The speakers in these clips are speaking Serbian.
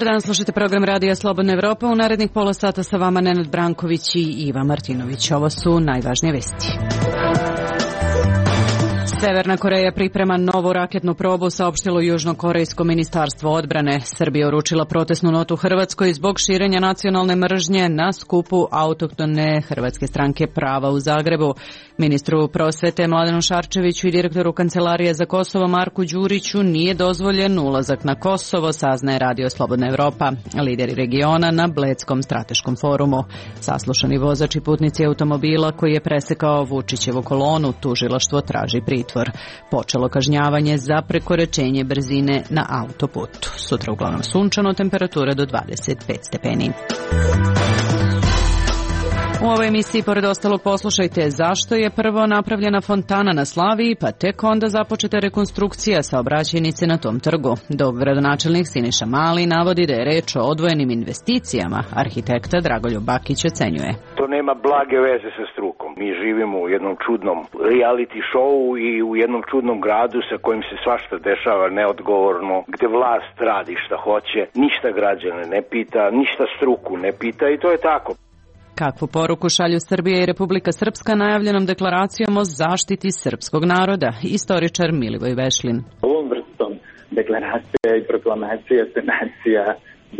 Dobar dan, slušajte program Radija Slobodna Evropa. U narednih pola sata sa vama Nenad Branković i Iva Martinović. Ovo su najvažnije vesti. Severna Koreja priprema novu raketnu probu, saopštilo Južnokorejsko ministarstvo odbrane. Srbija uručila protestnu notu Hrvatskoj zbog širenja nacionalne mržnje na skupu autohtone Hrvatske stranke prava u Zagrebu. Ministru prosvete Mladenu Šarčeviću i direktoru Kancelarije za Kosovo Marku Đuriću nije dozvoljen ulazak na Kosovo, saznaje Radio Slobodna Evropa. Lideri regiona na Bledskom strateškom forumu. Saslušani vozač i putnici automobila koji je presekao Vučićevu kolonu, tužilaštvo traži pritvor. Počelo kažnjavanje za prekoračenje brzine na autoputu. Sutra uglavnom sunčano, temperatura do 25 stepeni. U ovoj emisiji, pored ostalog, poslušajte zašto je prvo napravljena fontana na Slaviji, pa tek onda započeta rekonstrukcija saobraćajnice na tom trgu. Dok gradonačelnik Siniša Mali navodi da je reč o odvojenim investicijama, arhitekta Dragoljub Bakić ocenjuje. To nema blage veze sa strukom. Mi živimo u jednom čudnom reality showu i u jednom čudnom gradu sa kojim se svašta dešava neodgovorno, gde vlast radi šta hoće, ništa građane ne pita, ništa struku ne pita i to je tako. Kakvu poruku šalju Srbija i Republika Srpska najavljenom deklaracijom o zaštiti srpskog naroda? Istoričar Milivoj Vešlin. Ovom vrstom deklaracija i proklamacija se nacija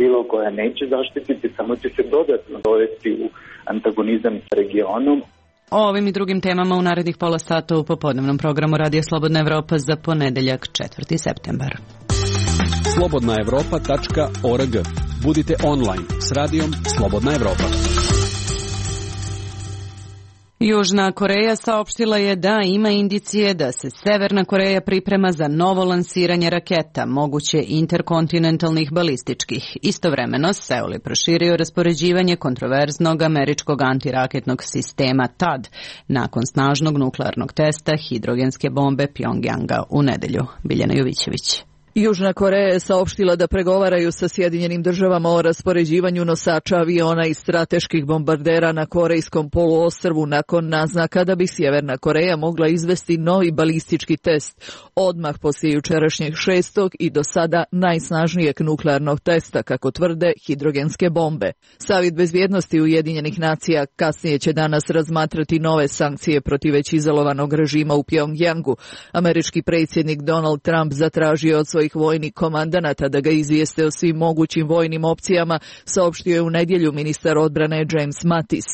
bilo koja neće zaštititi, samo će se dodatno dovesti u antagonizam s regionom. O ovim i drugim temama u narednih pola sata u popodnevnom programu Radija Slobodna Evropa za ponedeljak 4. septembar. slobodnaevropa.org. Budite online s radijom Slobodna Evropa. Južna Koreja saopštila je da ima indicije da se Severna Koreja priprema za novo lansiranje raketa, moguće interkontinentalnih balističkih. Istovremeno, Seul je proširio raspoređivanje kontroverznog američkog antiraketnog sistema THAAD nakon snažnog nuklearnog testa hidrogenske bombe Pjongjanga u nedelju. Biljana Jovićević. Južna Koreja je saopštila da pregovaraju sa Sjedinjenim državama o raspoređivanju nosača aviona i strateških bombardera na Korejskom poluostrvu nakon naznaka da bi Sjeverna Koreja mogla izvesti novi balistički test odmah poslije jučerašnjeg 6. i do sada najsnažnijeg nuklearnog testa, kako tvrde, hidrogenske bombe. Savjet bezbjednosti Ujedinjenih nacija kasnije će danas razmatrati nove sankcije protiv već izolovanog režima u Pjongjangu. Američki predsjednik Donald Trump zatražio od svojih vojnih komandanata da ga izvijeste o svim mogućim vojnim opcijama, saopštio je u nedjelju ministar odbrane James Mattis.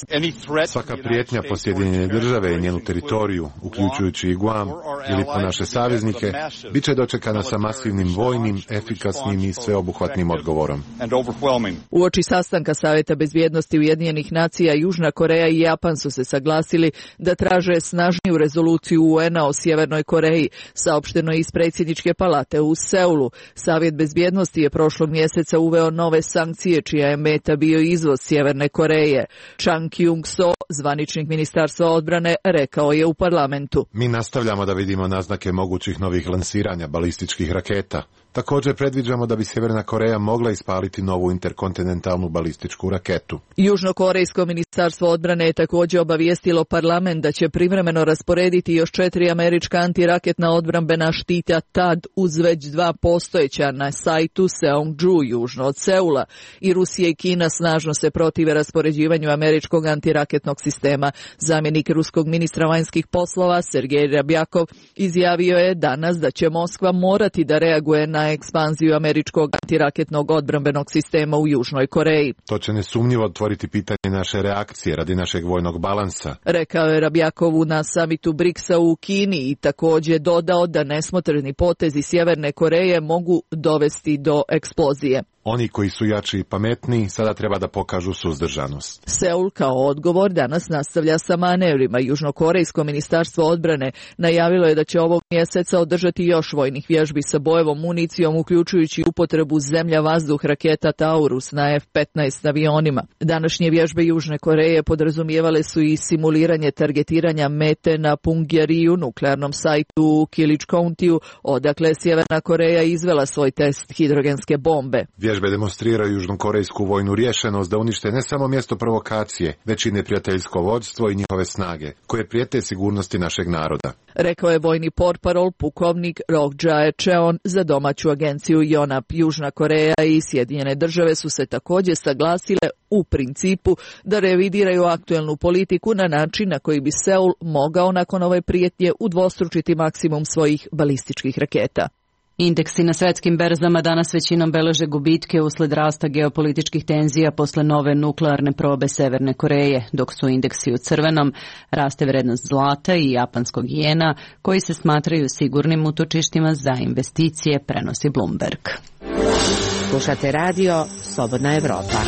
Svaka prijetnja po Sjedinjene države i njenu teritoriju, uključujući i Guam ili po naše saveznike, bit će dočekana sa masivnim vojnim, efikasnim i sveobuhvatnim odgovorom. Uoči sastanka Savjeta bezbjednosti Ujedinjenih nacija, Južna Koreja i Japan su se saglasili da traže snažniju rezoluciju UN-a o Sjevernoj Koreji, saopšteno je iz predsjedničke palate u Seulu. Savjet bezbjednosti je prošlog mjeseca uveo nove sankcije čija je meta bio izvoz Sjeverne Koreje. Chang Kyung-so, zvaničnik ministarstva odbrane, rekao je u parlamentu. Mi nastavljamo da vidimo naznake mogućih novih lansiranja balističkih raketa. Također predviđamo da bi Sjeverna Koreja mogla ispaliti novu interkontinentalnu balističku raketu. Južnokorejsko ministarstvo odbrane je također obavijestilo parlament da će privremeno rasporediti još 4 američka antiraketna odbrambena štita THAAD uz već 2 postojeća na sajtu Seongju, južno od Seula. I Rusija i Kina snažno se protive raspoređivanju američkog antiraketnog sistema. Zamjenik ruskog ministra vanjskih poslova Sergej Rabjakov izjavio je danas da će Moskva morati da reaguje na ekspanziju američkog antiraketnog odbrambenog sistema u Južnoj Koreji. To će nesumnjivo otvoriti pitanje naše reakcije radi našeg vojnog balansa, rekao je Rabjakovu na samitu BRICS-a u Kini i također dodao da nesmotreni potezi Sjeverne Koreje mogu dovesti do eksplozije. Oni koji su jači i pametniji sada treba da pokažu suzdržanost. Seul kao odgovor danas nastavlja sa manevrima. Južnokorejsko ministarstvo odbrane najavilo je da će ovog mjeseca održati još vojnih vježbi sa bojevom municijom, uključujući upotrebu zemlja-vazduh raketa Taurus na F-15 avionima. Današnje vježbe Južne Koreje podrazumijevale su i simuliranje targetiranja mete na Punggye-riu, nuklearnom sajtu u Killage County-u, odakle Sjeverna Koreja izvela svoj test hidrogenske bombe. Vježbe demonstriraju južnokorejsku vojnu rješenost da unište ne samo mjesto provokacije, već i neprijateljsko vodstvo i njihove snage, koje prijete sigurnosti našeg naroda. Rekao je vojni portparol pukovnik Roh Jae-cheon za domaću agenciju Yonhap. Južna Koreja i Sjedinjene države su se također saglasile u principu da revidiraju aktuelnu politiku na način na koji bi Seul mogao nakon ove prijetnje udvostručiti maksimum svojih balističkih raketa. Indeksi na svjetskim berzama danas većinom beleže gubitke usled rasta geopolitičkih tenzija posle nove nuklearne probe Severne Koreje, dok su indeksi u crvenom, raste vrednost zlata i japanskog jena, koji se smatraju sigurnim utočištima za investicije, prenosi Bloomberg. Slušate radio Slobodna Evropa.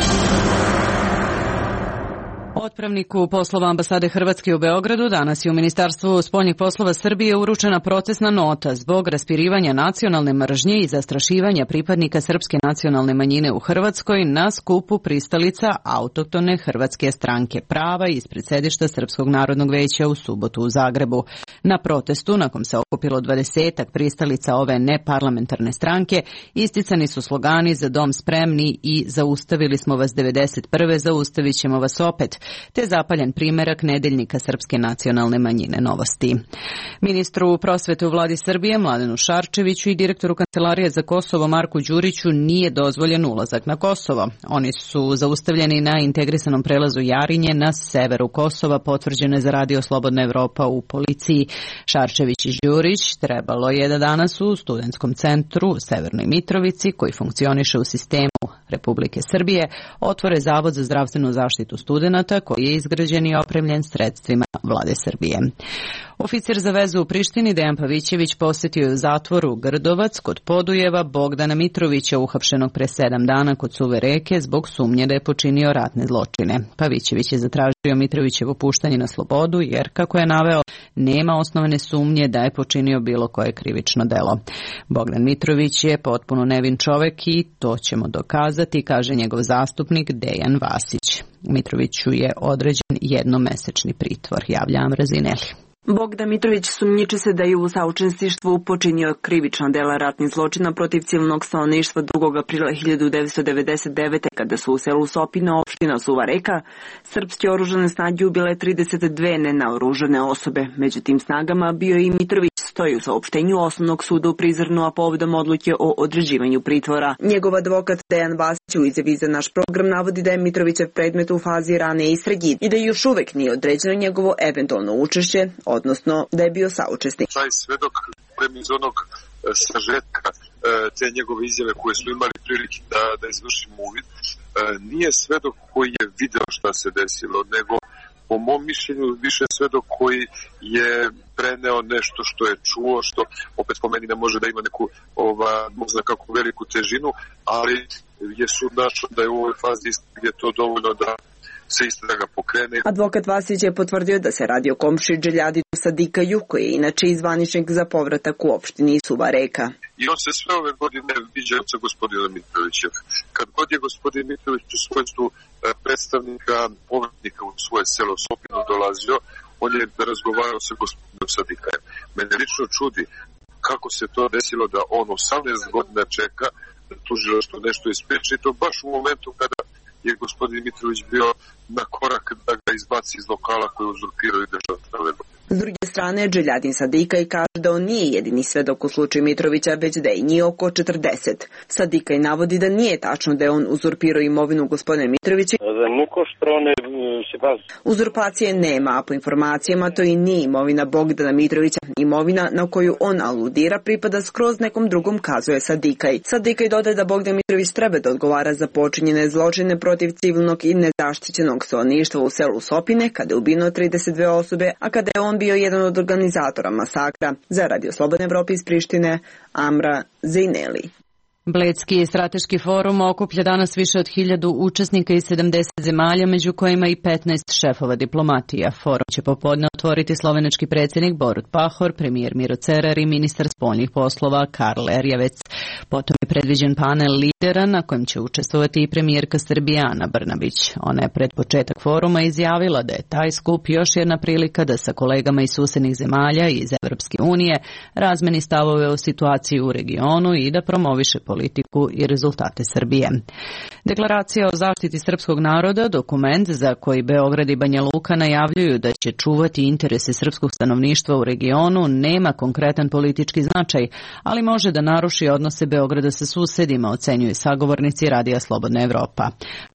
Otpravniku poslova ambasade Hrvatske u Beogradu danas je u Ministarstvu spoljnih poslova Srbije uručena procesna nota zbog raspirivanja nacionalne mržnje i zastrašivanja pripadnika srpske nacionalne manjine u Hrvatskoj na skupu pristalica autohtone Hrvatske stranke prava ispred sedišta Srpskog narodnog veća u subotu u Zagrebu. Na protestu, nakon se okupilo 20 pristalica ove neparlamentarne stranke, isticani su slogani "Za dom spremni" i "Zaustavili smo vas 91. zaustavit ćemo vas opet", te zapaljen primerak nedeljnika Srpske nacionalne manjine Novosti. Ministru prosvete u vladi Srbije Mladenu Šarčeviću i direktoru Kancelarije za Kosovo Marku Đuriću nije dozvoljen ulazak na Kosovo. Oni su zaustavljeni na integrisanom prelazu Jarinje na severu Kosova, potvrđeno je za Radio Slobodna Evropa u policiji. Šarčević i Đurić trebalo je da danas u studentskom centru u Severnoj Mitrovici, koji funkcioniše u sistemu Republike Srbije, otvore Zavod za zdravstvenu zaštitu studenata, koji je izgrađen i opremljen sredstvima vlade Srbije. Oficir za vezu u Prištini Dejan Pavićević posjetio je u zatvoru Grdovac kod Podujeva Bogdana Mitrovića, uhapšenog pre 7 dana kod Suve reke zbog sumnje da je počinio ratne zločine. Pavićević je zatražio Mitrovićevo puštanje na slobodu jer, kako je naveo, nema osnovane sumnje da je počinio bilo koje krivično delo. Bogdan Mitrović je potpuno nevin čovek i to ćemo dokazati, kaže njegov zastupnik Dejan Vasić. Mitroviću je određen jednomesečni pritvor, javlja Amra Zineli. Bogdan Mitrović sumnjiči se da je u saučesništvu počinio krivična dela ratnih zločina protiv civilnog stanovništva 2. aprila 1999. kada su u selu Sopina, opština Suva reka, srpske oružane snage ubile 32 nenaoružane osobe. Među tim snagama bio je i Mitrović, stoji u saopštenju Osnovnog suda u Prizrenu, a povodom odluke o određivanju pritvora. Njegov advokat Dejan Vasić u izjavi za naš program navodi da je Mitrovićev predmet u fazi rane istrage i da još uvek nije određeno njegovo eventualno učešće, odnosno da je bio saučesnik. Taj svedok iz onog sažetka te njegove izjave koje smo imali prilike da izvršimo uvid, nije svedok koji je video šta se desilo, nego po mom mišljenju više svedok koji je preneo nešto što je čuo, što opet po meni ne može da ima neku možda kako veliku težinu, ali je sud našao da je u ovoj fazi istrage to dovoljno da se istraga pokrene. Advokat Vasić je potvrdio da se radi o komši Dželjadidu Sadikaju, koji je inače izvaničnik za povratak u opštini Suva reka. I on se sve ove godine viđao sa gospodinom Mitrovićem. Kad god je gospodin Mitrović u svojstvu predstavnika povratnika u svoje selo Sopinu dolazio, on je razgovarao sa gospodinom Sadikajem. Mene lično čudi kako se to desilo da on 18 godina čeka da tužilaštvo nešto ispriči, to baš u momentu kada je gospodin Mitrović bio na korak da ga izbaci iz lokala koji uzurpiraju državne. S druge strane, Dželjadin Sadikaj kaže da on nije jedini svedok u slučaju Mitrovića, već da je njih oko 40. Sadikaj navodi da nije tačno da je on uzurpirao imovinu gospodina Mitrovića. Uzurpacije nema, a po informacijama to i nije imovina Bogdana Mitrovića. Imovina na koju on aludira pripada skroz nekom drugom, kazuje Sadikaj. Sadikaj dodaje da Bogdan Mitrović treba da odgovara za počinjene zločine protiv civilnog i nezaštićenog stanovništva u selu Sopine, kada je ubijeno 32 osobe, a kada je on bio jedan od organizatora masakra. Za Radio Slobodne Evrope iz Prištine, Amra Zineli. Bledski strateški forum okuplja danas više od 1000 učesnika iz 70 zemalja, među kojima i 15 šefova diplomatija. Forum će popodne otvoriti slovenački predsjednik Borut Pahor, premijer Miro Cerar i ministar spoljnih poslova Karl Erjavec. Potom je predviđen panel lidera na kojem će učestvovati i premijerka Srbije Ana Brnabić. Ona je pred početak foruma izjavila da je taj skup još jedna prilika da sa kolegama iz susednih zemalja i iz Evropske unije razmeni stavove o situaciji u regionu i da promoviše politiku i rezultate Srbije. Deklaracija o zaštiti srpskog naroda, dokument za koji Beograd i Banja Luka najavljuju da će čuvati interese srpskog stanovništva u regionu, nema konkretan politički značaj, ali može da naruši odnose Beograda sa susedima, ocenjuju sagovornici Radija Slobodna Evropa.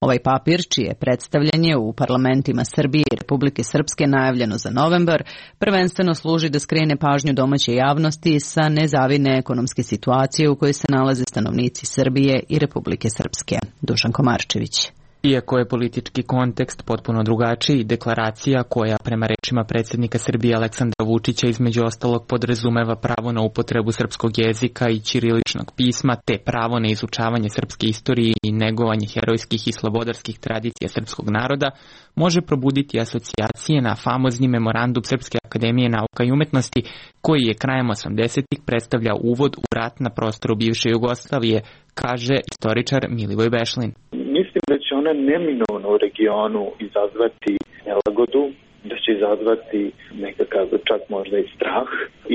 Ovaj papir, čije predstavljanje u parlamentima Srbije i Republike Srpske najavljeno za novembar, prvenstveno služi da skrene pažnju domaće javnosti sa nezavidne ekonomske situacije u kojoj se nalaze stanovnici Srbije i Republike Srpske. Dušan Komarčević. Iako je politički kontekst potpuno drugačiji, deklaracija koja prema rečima predsjednika Srbije Aleksandra Vučića između ostalog podrazumeva pravo na upotrebu srpskog jezika i ćiriličnog pisma te pravo na izučavanje srpske istorije i negovanje herojskih i slobodarskih tradicija srpskog naroda, može probuditi asocijacije na famozni memorandum Srpske akademije nauka i umetnosti koji je krajem 80-ih predstavljao uvod u rat na prostoru bivše Jugoslavije, kaže istoričar Milivoj Bešlin. Mislim da će ona neminovno u regionu izazvati nelagodu, da će izazvati nekakav čak možda i strah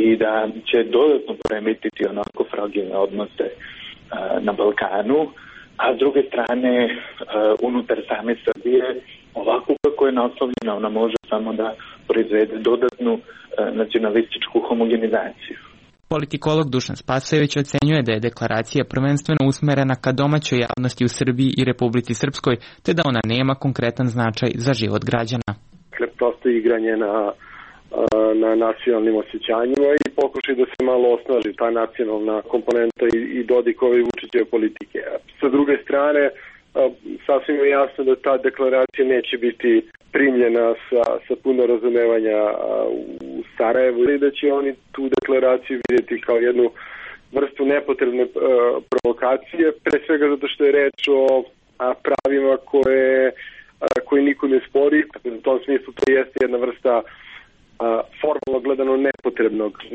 i da će dodatno poremetiti onako fragilne odnose na Balkanu, a s druge strane unutar same Srbije ovako kako je naslovljena ona može samo da proizvede dodatnu nacionalističku homogenizaciju. Politikolog Dušan Spasojević ocenjuje da je deklaracija prvenstveno usmerena ka domaćoj javnosti u Srbiji i Republici Srpskoj, te da ona nema konkretan značaj za život građana. Prosto igranje na nacionalnim osjećanjima i pokušaj da se malo osnaži ta nacionalna komponenta i Dodikove i Vučićeve politike. Sa druge strane, sasvim je jasno da ta deklaracija neće biti primljena sa puno razumevanja u Sarajevu i da će oni tu deklaraciju vidjeti kao jednu vrstu nepotrebne provokacije, pre svega zato što je reč o pravima koje niko ne spori. U tom smislu to jeste jedna vrsta formalno gledano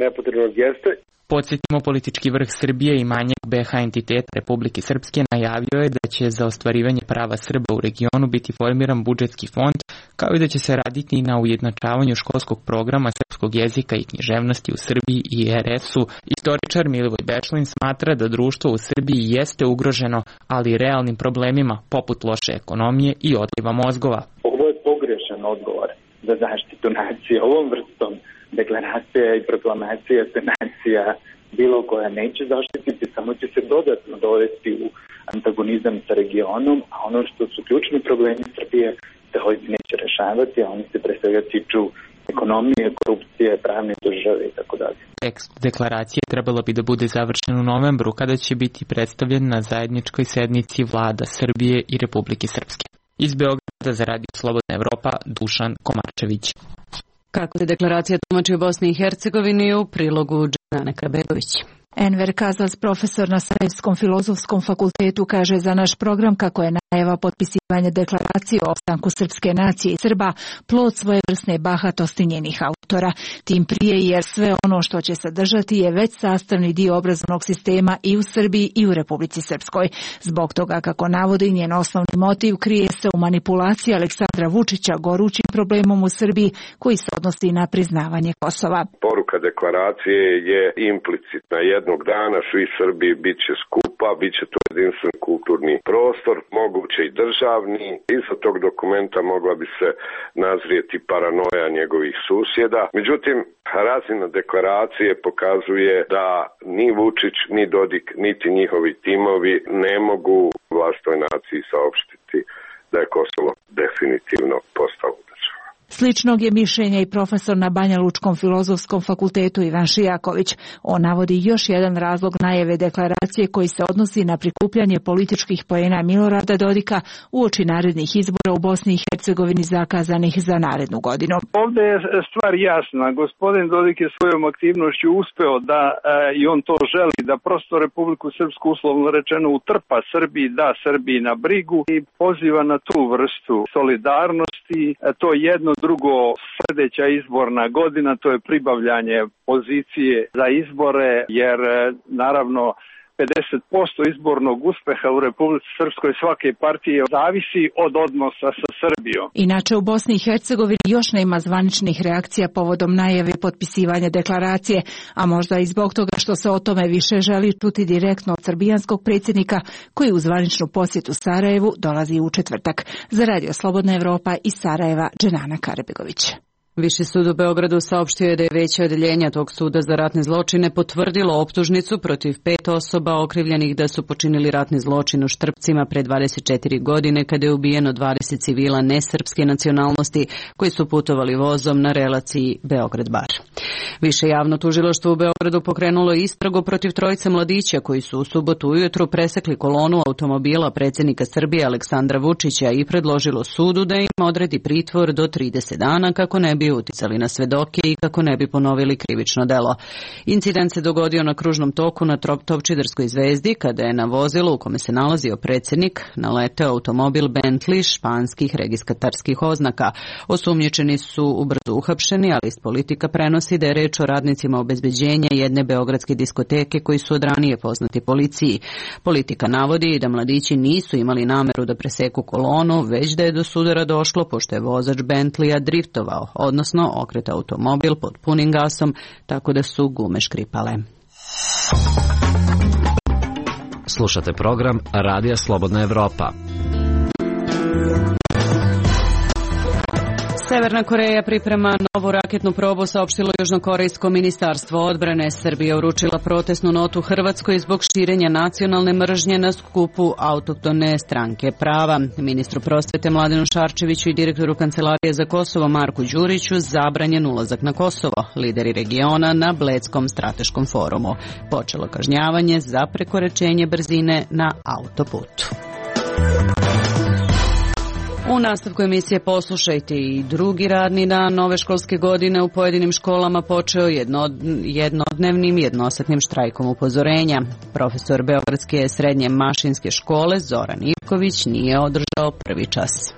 nepotrebnog gesta. Podsjetimo, politički vrh Srbije i manjak BH entitet Republike Srpske najavio je da će za ostvarivanje prava Srba u regionu biti formiran budžetski fond, kao i da će se raditi na ujednačavanju školskog programa srpskog jezika i književnosti u Srbiji i RS-u. Istoričar Milivoj Bešlin smatra da društvo u Srbiji jeste ugroženo, ali realnim problemima poput loše ekonomije i odliva mozgova. Ovo je pogrešan odgovor za zaštitu nacije. Ovom vrstom deklaracija i proklamacija se nacija bilo koja neće zaštititi, samo će se dodatno dovesti u antagonizam sa regionom, a ono što su ključni problemi Srbije se ovdje neće rešavati, a oni se pre svega tiču ekonomije, korupcije, pravne države i tako dalje. Tekst deklaracije trebalo bi da bude završen u novembru, kada će biti predstavljen na zajedničkoj sednici vlada Srbije i Republike Srpske. Iz Beograda za Radio Slobodna Evropa, Dušan Komarčević. Kako se deklaracija tumači u Bosni i Hercegovini u prilogu Džane Krabegović. Enver Kazas, profesor na Sarajevskom filozofskom fakultetu, kaže za naš program kako je najava potpisivanja deklaracije o opstanku srpske nacije i Srba plod svojevrsne bahatosti njenih autora. Tim prije jer sve ono što će sadržati je već sastavni dio obrazovnog sistema i u Srbiji i u Republici Srpskoj. Zbog toga, kako navodi, njen osnovni motiv krije se u manipulaciji Aleksandra Vučića gorućim problemom u Srbiji koji se odnosi na priznavanje Kosova. Poruka deklaracije je implicitna. Jednog dana svi Srbi bit će skupa, bit će to jedinstven kulturni prostor, moguće i državni. Iza tog dokumenta mogla bi se nazrijeti paranoja njegovih susjeda. Međutim, razina deklaracije pokazuje da ni Vučić, ni Dodik, niti njihovi timovi ne mogu vlastnoj naciji saopštiti da je Kosovo definitivno postalo država. Sličnog je mišljenja i profesor na Banja Lučkom filozofskom fakultetu Ivan Šijaković. On navodi još jedan razlog najave deklaracije koji se odnosi na prikupljanje političkih poena Milorada Dodika uoči narednih izbora u Bosni i Hercegovini zakazanih za narednu godinu. Ovdje je stvar jasna. Gospodin Dodik je svojom aktivnošću uspeo da, i on to želi, da prosto Republiku Srpsku uslovno rečeno utrpa Srbiji, da Srbiji na brigu i poziva na tu vrstu solidarnosti. To jedno drugo, sljedeća izborna godina, to je pribavljanje pozicije za izbore, jer naravno 50% izbornog uspeha u Republici Srpskoj svake partije zavisi od odnosa sa Srbijom. Inače, u Bosni i Hercegovini još nema zvaničnih reakcija povodom najave potpisivanja deklaracije, a možda i zbog toga što se o tome više želi čuti direktno od srbijanskog predsjednika koji u zvaničnu posjetu Sarajevu dolazi u četvrtak. Za Radio Slobodna Evropa iz Sarajeva, Dženana Karebegović. Viši sud u Beogradu saopštio je da je veće odeljenje tog suda za ratne zločine potvrdilo optužnicu protiv 5 osoba okrivljenih da su počinili ratni zločin u Štrpcima pre 24 godine kada je ubijeno 20 civila nesrpske nacionalnosti koji su putovali vozom na relaciji Beograd-Bar. Više javno tužilaštvo u Beogradu pokrenulo istragu protiv trojice mladića koji su u subotu ujutru presekli kolonu automobila predsjednika Srbije Aleksandra Vučića i predložilo sudu da im odredi pritvor do 30 dana kako ne bi uticali na svedoke i kako ne bi ponovili krivično delo. Incident se dogodio na kružnom toku na Topčiderskoj zvezdi kada je na vozilu u kome se nalazio predsjednik naleteo automobil Bentley španskih registratorskih oznaka. Osumnjičeni su ubrzo uhapšeni, ali iz Politika prenosi da je reč o radnicima obezbeđenja jedne beogradske diskoteke koji su od ranije poznati policiji. Politika navodi da mladići nisu imali nameru da preseku kolonu, već da je do sudara došlo pošto je vozač Bentleya driftovao, odnosno okretao automobil pod punim gasom, tako da su gume škripale. Slušate program Radija Slobodna Evropa. Severna Koreja priprema novu raketnu probu, saopštilo Južnokorejsko ministarstvo odbrane. Srbija uručila protestnu notu Hrvatskoj zbog širenja nacionalne mržnje na skupu autohtone stranke prava. Ministru prosvete Mladenu Šarčeviću i direktoru Kancelarije za Kosovo Marku Đuriću zabranjen ulazak na Kosovo. Lideri regiona na Bledskom strateškom forumu. Počelo kažnjavanje za prekoračenje brzine na autoputu. U nastavku emisije poslušajte i drugi radni dan nove školske godine u pojedinim školama počeo jednodnevnim jednosatnim štrajkom upozorenja. Profesor Beogradske srednje mašinske škole Zoran Ivković nije održao prvi čas.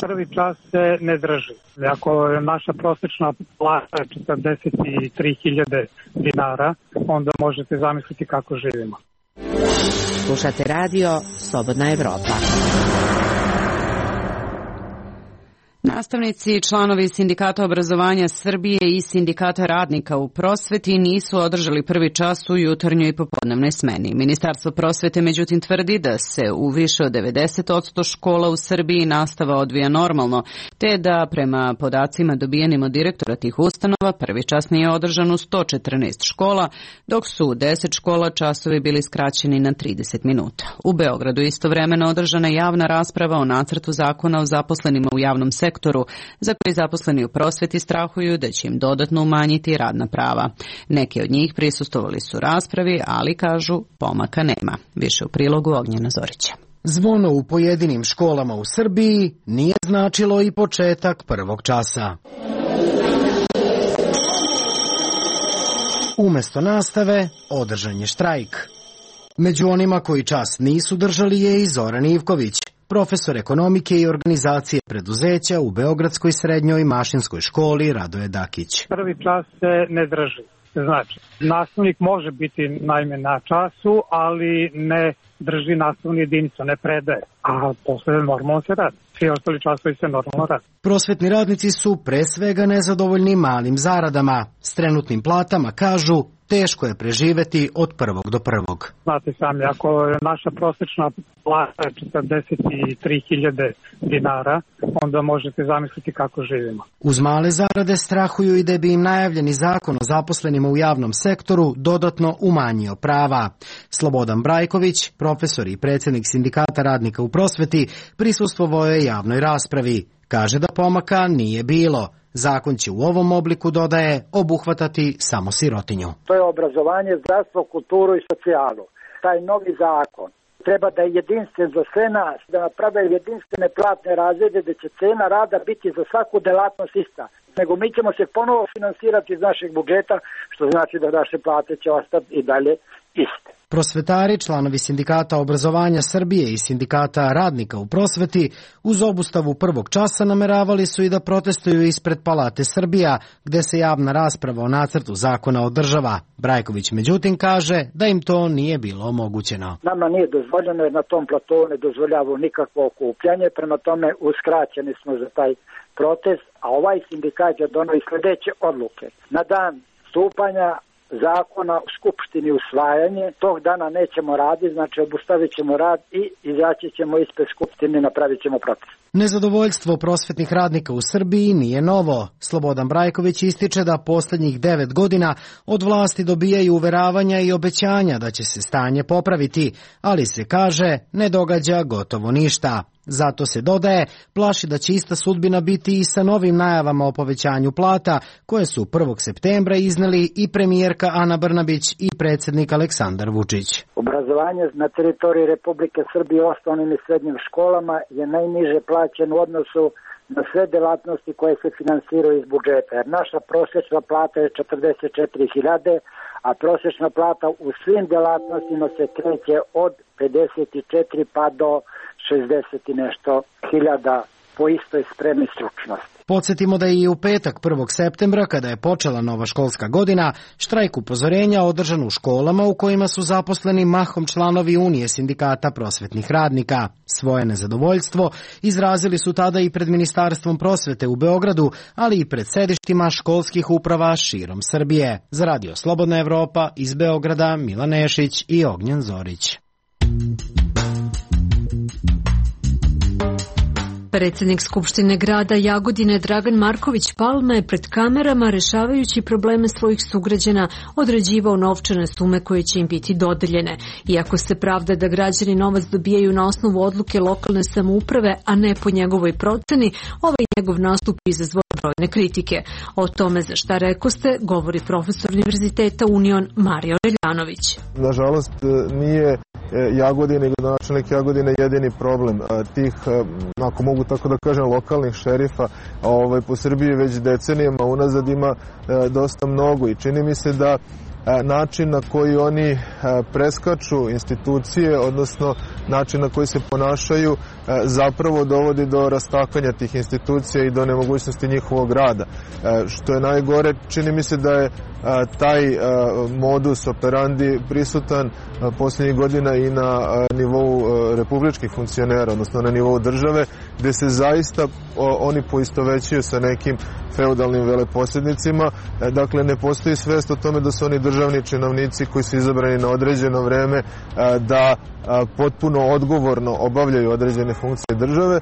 Prvi čas se ne drži. Ako je naša prosječna plata 43.000 dinara, onda možete zamisliti kako živimo. Slušate radio Slobodna Evropa. Nastavnici i članovi Sindikata obrazovanja Srbije i Sindikata radnika u prosveti nisu održali prvi čas u jutarnjoj i popodnevnoj smeni. Ministarstvo prosvete međutim tvrdi da se u više od 90% škola u Srbiji nastava odvija normalno, te da prema podacima dobijenim od direktora tih ustanova prvi čas nije održan u 114 škola, dok su u 10 škola časovi bili skraćeni na 30 minuta. U Beogradu istovremeno održana javna rasprava o nacrtu zakona o zaposlenima u javnom sektoru, za koji zaposleni u prosveti strahuju da će im dodatno umanjiti radna prava. Neki od njih prisustvovali su raspravi, ali kažu pomaka nema. Više u prilogu Ognjena Zorića. Zvono u pojedinim školama u Srbiji nije značilo i početak prvog časa. Umesto nastave, održan je štrajk. Među onima koji čas nisu držali je i Zoran Ivković, profesor ekonomike i organizacije preduzeća u Beogradskoj srednjoj mašinskoj školi Radoje Dakić. Prvi čas se ne drži. Znači, nastavnik može biti naime na času, ali ne drži nastavnu jedinicu, ne predaje, a posle normalno se radi. Svi ostali časovi se normalno radi. Prosvetni radnici su pre svega nezadovoljni malim zaradama. S trenutnim platama kažu teško je preživeti od prvog do prvog. Znate sami, ako je naša prosječna plata 43.000 dinara, onda možete zamisliti kako živimo. Uz male zarade strahuju i da bi im najavljeni zakon o zaposlenima u javnom sektoru dodatno umanjio prava. Slobodan Brajković, profesor i predsjednik Sindikata radnika u prosveti, prisustvovao je javnoj raspravi. Kaže da pomaka nije bilo. Zakon će u ovom obliku, dodaje, obuhvatati samo sirotinju. To je obrazovanje, zdravstvo, kulturu i socijalu. Taj novi zakon treba da je jedinstven za sve nas, da naprave jedinstvene platne razrede gdje će cena rada biti za svaku delatnost ista. Nego mi ćemo se ponovo finansirati iz našeg budžeta, što znači da naše plate će ostati i dalje iste. Prosvetari, članovi Sindikata obrazovanja Srbije i Sindikata radnika u prosveti, uz obustavu prvog časa nameravali su i da protestuju ispred Palate Srbija, gde se javna rasprava o nacrtu zakona održava. Brajković međutim kaže da im to nije bilo omogućeno. Nama nije dozvoljeno jer na tom platonu ne dozvoljava nikakvo okupljanje, prema tome uskraćeni smo za taj protest, a ovaj sindikat je donio i sledeće odluke. Na dan stupanja zakona u Skupštini usvajanje, tog dana nećemo raditi, znači obustavit ćemo rad i izaći ćemo ispred Skupštine i napravit ćemo protest. Nezadovoljstvo prosvetnih radnika u Srbiji nije novo. Slobodan Brajković ističe da poslednjih 9 godina od vlasti dobijaju uveravanja i obećanja da će se stanje popraviti, ali se kaže ne događa gotovo ništa. Zato se dodaje, plaši da će ista sudbina biti i sa novim najavama o povećanju plata, koje su 1. septembra izneli i premijerka Ana Brnabić i predsjednik Aleksandar Vučić. Obrazovanje na teritoriji Republike Srbije u osnovnim i srednjim školama je najniže plaćen u odnosu na sve delatnosti koje se finansiraju iz budžeta. Jer naša prosječna plata je 44.000, a prosječna plata u svim delatnostima se kreće od 54 pa do 60 i nešto hiljada po istoj spremi stručnosti. Podsjetimo da je i u petak 1. septembra, kada je počela nova školska godina, štrajk upozorenja održan u školama u kojima su zaposleni mahom članovi Unije sindikata prosvetnih radnika. Svoje nezadovoljstvo izrazili su tada i pred Ministarstvom prosvete u Beogradu, ali i pred sedištima školskih uprava širom Srbije. Za Radio Slobodna Evropa iz Beograda Milan Nešić i Ognjen Zorić. Predsjednik Skupštine grada Jagodine Dragan Marković Palma je pred kamerama, rešavajući probleme svojih sugrađana, određivao novčane sume koje će im biti dodeljene. Iako se pravda da građani novac dobijaju na osnovu odluke lokalne samouprave, a ne po njegovoj proceni, ovaj njegov nastup izazvao brojne kritike. O tome za šta rekoste govori profesor Univerziteta Union Mario Reljanović. Nažalost, nije Jagodina i gradonačelnik Jagodine jedini problem tih, ako mogu tako da kažem, lokalnih šerifa po Srbiji već decenijama unazad ima dosta mnogo i čini mi se da način na koji oni preskaču institucije, odnosno način na koji se ponašaju, zapravo dovodi do rastakanja tih institucija i do nemogućnosti njihovog rada. Što je najgore, čini mi se da je taj modus operandi prisutan posljednjih godina i na nivou republičkih funkcionera, odnosno na nivou države, gde se zaista oni poistovećuju sa nekim feudalnim veleposjednicima. Dakle, ne postoji svest o tome da su oni državni činovnici koji su izabrani na određeno vreme, da potpuno odgovorno obavljaju određene funkcije države,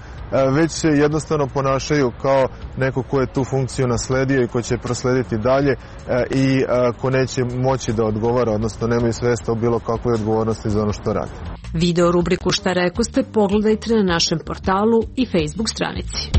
već se jednostavno ponašaju kao neko ko je tu funkciju nasledio i ko će proslediti dalje i ko neće moći da odgovara, odnosno nemaju svesta o bilo kakvoj odgovornosti za ono što radi. Video rubriku Šta rekoste pogledajte na našem portalu i Facebook stranici.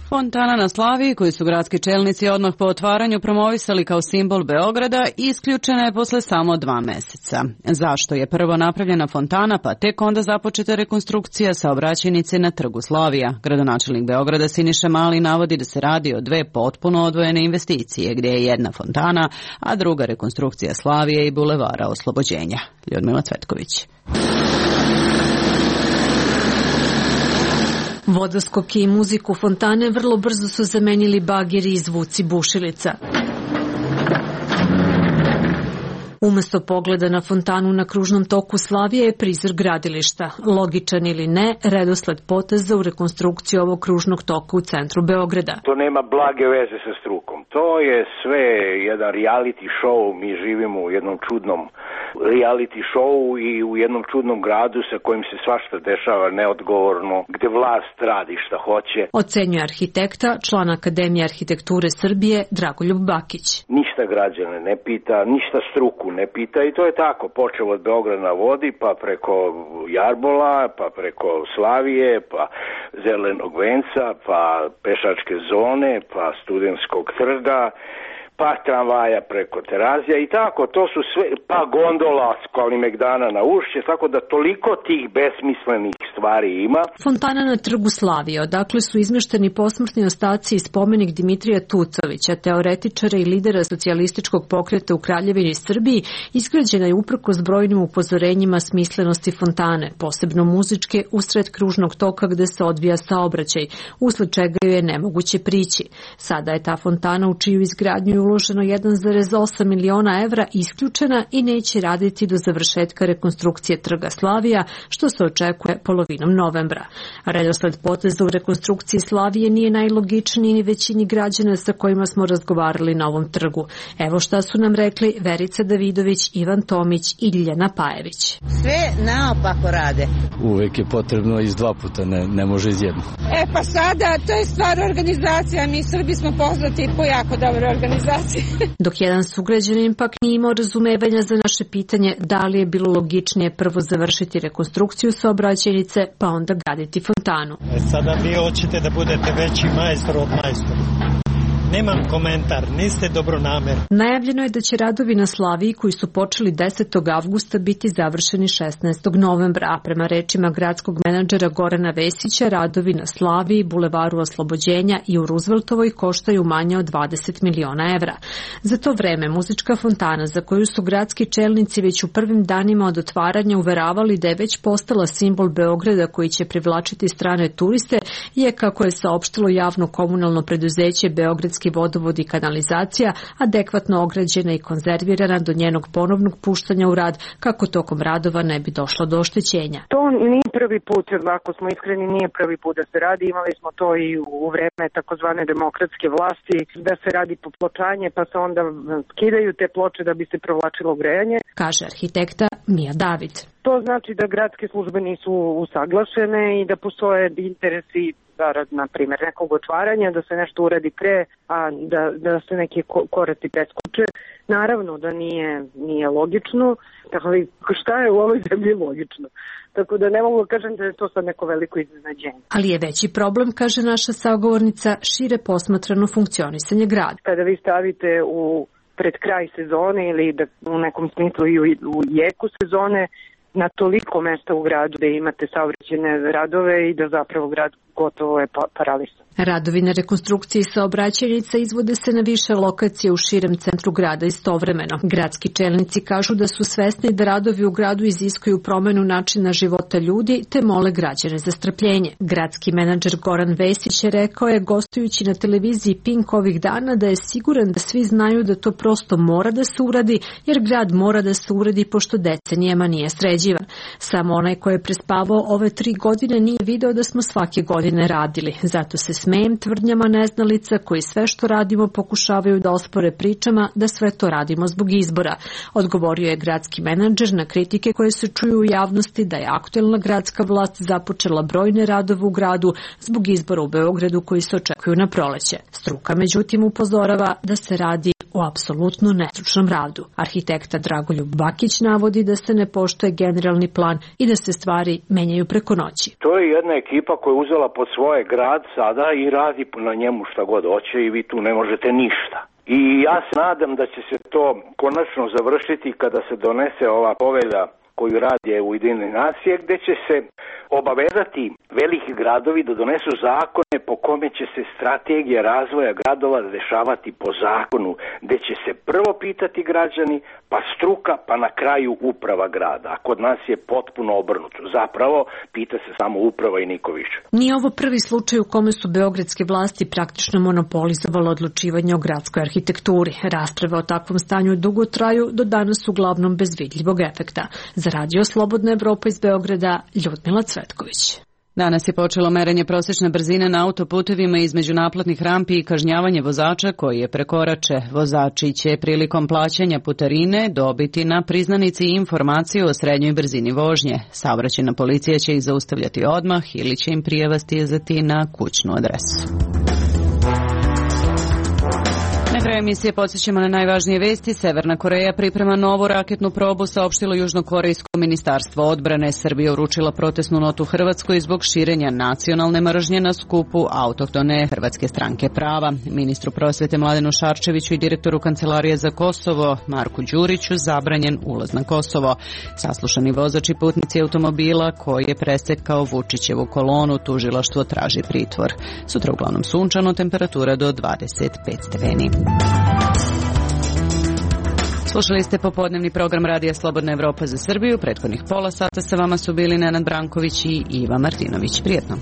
Fontana na Slaviji, koju su gradski čelnici odmah po otvaranju promovisali kao simbol Beograda, isključena je posle samo 2 meseca. Zašto je prvo napravljena fontana, pa tek onda započeta rekonstrukcija saobraćajnice na Trgu Slavija? Gradonačelnik Beograda Siniša Mali navodi da se radi o 2 potpuno odvojene investicije, gdje je jedna fontana, a druga rekonstrukcija Slavije i Bulevara Oslobođenja. Ljudmila Cvetković. Vodoskoke i muziku fontane vrlo brzo su zamenili bageri i zvuci bušilica. Umesto pogleda na fontanu na kružnom toku Slavije je prizor gradilišta. Logičan ili ne, redosled poteza u rekonstrukciju ovog kružnog toka u centru Beograda. To nema blage veze sa strukom. To je sve jedan reality show. Mi živimo u jednom čudnom reality show i u jednom čudnom gradu sa kojim se svašta dešava neodgovorno, gde vlast radi šta hoće. Ocenjuje arhitekta, član Akademije arhitekture Srbije Dragoljub Bakić. Ništa građane ne pita, ništa struku ne pita i to je tako. Počeo od Beograda na vodi, pa preko Jarbola, pa preko Slavije, pa Zelenog venca, pa pešačke zone, pa Studentskog trga, pa tramvaja preko Terazija i tako, to su sve, pa gondola s Kalimegdana na Ušće, tako da toliko tih besmislenih stvari ima. Fontana na Trgu Slavije, odakle su izmešteni posmrtni ostaci i spomenik Dimitrija Tucovića, teoretičara i lidera socijalističkog pokreta u Kraljevini Srbiji, izgrađena je uprkos brojnim upozorenjima smislenosti fontane, posebno muzičke, usred kružnog toka gde se odvija saobraćaj, usled čega joj je nemoguće prići. Sada je ta fontana u čiju izgradnju je uloženo 1,8 miliona evra isključena i neće raditi do završetka rekonstrukcije Trga Slavija, što se očekuje polovinom novembra. Redosled poteza u rekonstrukciji Slavije nije najlogičniji ni većini građana sa kojima smo razgovarali na ovom trgu. Evo šta su nam rekli Verica Davidović, Ivan Tomić i Ljiljana Pajević. Sve naopako rade. Uvek je potrebno iz dva puta, ne može iz jedno. Pa sada, to je stvar organizacija. Mi Srbi smo poznati po jako dobroj organizaciji. Dok jedan sugrađanin pak nije imao razumevanja za naše pitanje da li je bilo logičnije prvo završiti rekonstrukciju saobraćajnice pa onda graditi fontanu. Sada vi hoćete da budete veći majstor od majstora. Nemam komentar, niste dobronamerni. Najavljeno je da će radovi na Slaviji koji su počeli 10. avgusta biti završeni 16. novembra, a prema rečima gradskog menadžera Gorana Vesića, radovi na Slaviji, Bulevaru Oslobođenja i u Rooseveltovoj koštaju manje od 20 miliona evra. Za to vreme muzička fontana, za koju su gradski čelnici već u prvim danima od otvaranja uveravali da je već postala simbol Beograda koji će privlačiti strane turiste, je, kako je saopštilo javno komunalno preduzeće Beogradski vodovod i kanalizacija, adekvatno ograđena i konzervirana do njenog ponovnog puštanja u rad, kako tokom radova ne bi došlo do oštećenja. To nije prvi put, ako smo iskreni, nije prvi put da se radi. Imali smo to i u vreme takozvane demokratske vlasti, da se radi popločanje, pa se onda skidaju te ploče da bi se provlačilo grejanje. Kaže arhitekta Mija David. To znači da gradske službe nisu usaglašene i da postoje interesi zarad, na primjer, nekog otvaranja, da se nešto uradi pre, a da se neki koraci preskoče. Naravno da nije logično, ali šta je u ovoj zemlji logično? Tako da ne mogu da kažem da je to sad neko veliko iznenađenje. Ali je veći problem, kaže naša sagovornica, šire posmatrano funkcionisanje grada. Kada vi stavite pred kraj sezone ili da u nekom smislu i u jeku sezone, na toliko mesta u gradu da imate saobraćajne radove i da zapravo grad gotovo je paralisan. Radovi na rekonstrukciji saobraćajnica izvode se na više lokacije u širem centru grada istovremeno. Gradski čelnici kažu da su svesni da radovi u gradu iziskuju promenu načina života ljudi, te mole građane za strpljenje. Gradski menadžer Goran Vesić je rekao gostujući na televiziji Pink ovih dana da je siguran da svi znaju da to prosto mora da se uradi, jer grad mora da se uradi pošto decenijama nije sređivan. Samo onaj ko je prespavao ove 3 godine nije video da smo svake godine radili. Zato se smejem tvrdnjama neznalica koji sve što radimo pokušavaju da ospore pričama da sve to radimo zbog izbora. Odgovorio je gradski menadžer na kritike koje se čuju u javnosti da je aktuelna gradska vlast započela brojne radove u gradu zbog izbora u Beogradu koji se očekuju na proleće. Struka međutim upozorava da se radi o apsolutno nestručnom radu. Arhitekta Dragoljub Bakić navodi da se ne poštuje generalni plan i da se stvari menjaju preko noći. To je jedna ekipa koja je uzela pod svoje grad sada i radi na njemu šta god hoće i vi tu ne možete ništa. I ja se nadam da će se to konačno završiti kada se donese ova povelja koju radi Ujedinjene nacije, gde će se obavezati veliki gradovi da donesu zakone po kome će se strategija razvoja gradova dešavati po zakonu, gde će se prvo pitati građani, pa struka, pa na kraju uprava grada. A kod nas je potpuno obrnuto. Zapravo, pita se samo uprava i niko više. Nije ovo prvi slučaj u kome su beogradske vlasti praktično monopolizovale odlučivanje o gradskoj arhitekturi. Rasprave o takvom stanju dugo traju, do danas uglavnom bez vidljivog efekta. Za Radio Slobodna Evropa iz Beograda, Ljudmila Cvetković. Danas je počelo merenje prosječne brzine na autoputevima između naplatnih rampi i kažnjavanje vozača koji je prekorače. Vozači će prilikom plaćanja putarine dobiti na priznanici informaciju o srednjoj brzini vožnje. Saobraćajna policija će ih zaustavljati odmah ili će im prijava stizati na kućnu adresu. kraja emisije podsjećamo na najvažnije vesti. Severna Koreja priprema novu raketnu probu, saopštilo južnokorejsko ministarstvo odbrane. Srbija uručila protestnu notu Hrvatskoj zbog širenja nacionalne mržnje na skupu autohtone Hrvatske stranke prava. Ministru prosvete Mladenu Šarčeviću i direktoru Kancelarije za Kosovo Marku Đuriću zabranjen ulaz na Kosovo. Saslušani vozač i putnici automobila koji je presekao Vučićevu kolonu, tužilaštvo traži pritvor. Sutra uglavnom sunčano, temperatura do 25 stepeni. Slušali ste popodnevni program Radija Slobodna Evropa za Srbiju. Prethodnih pola sata sa vama su bili Nenad Branković i Iva Martinović. Prijetno.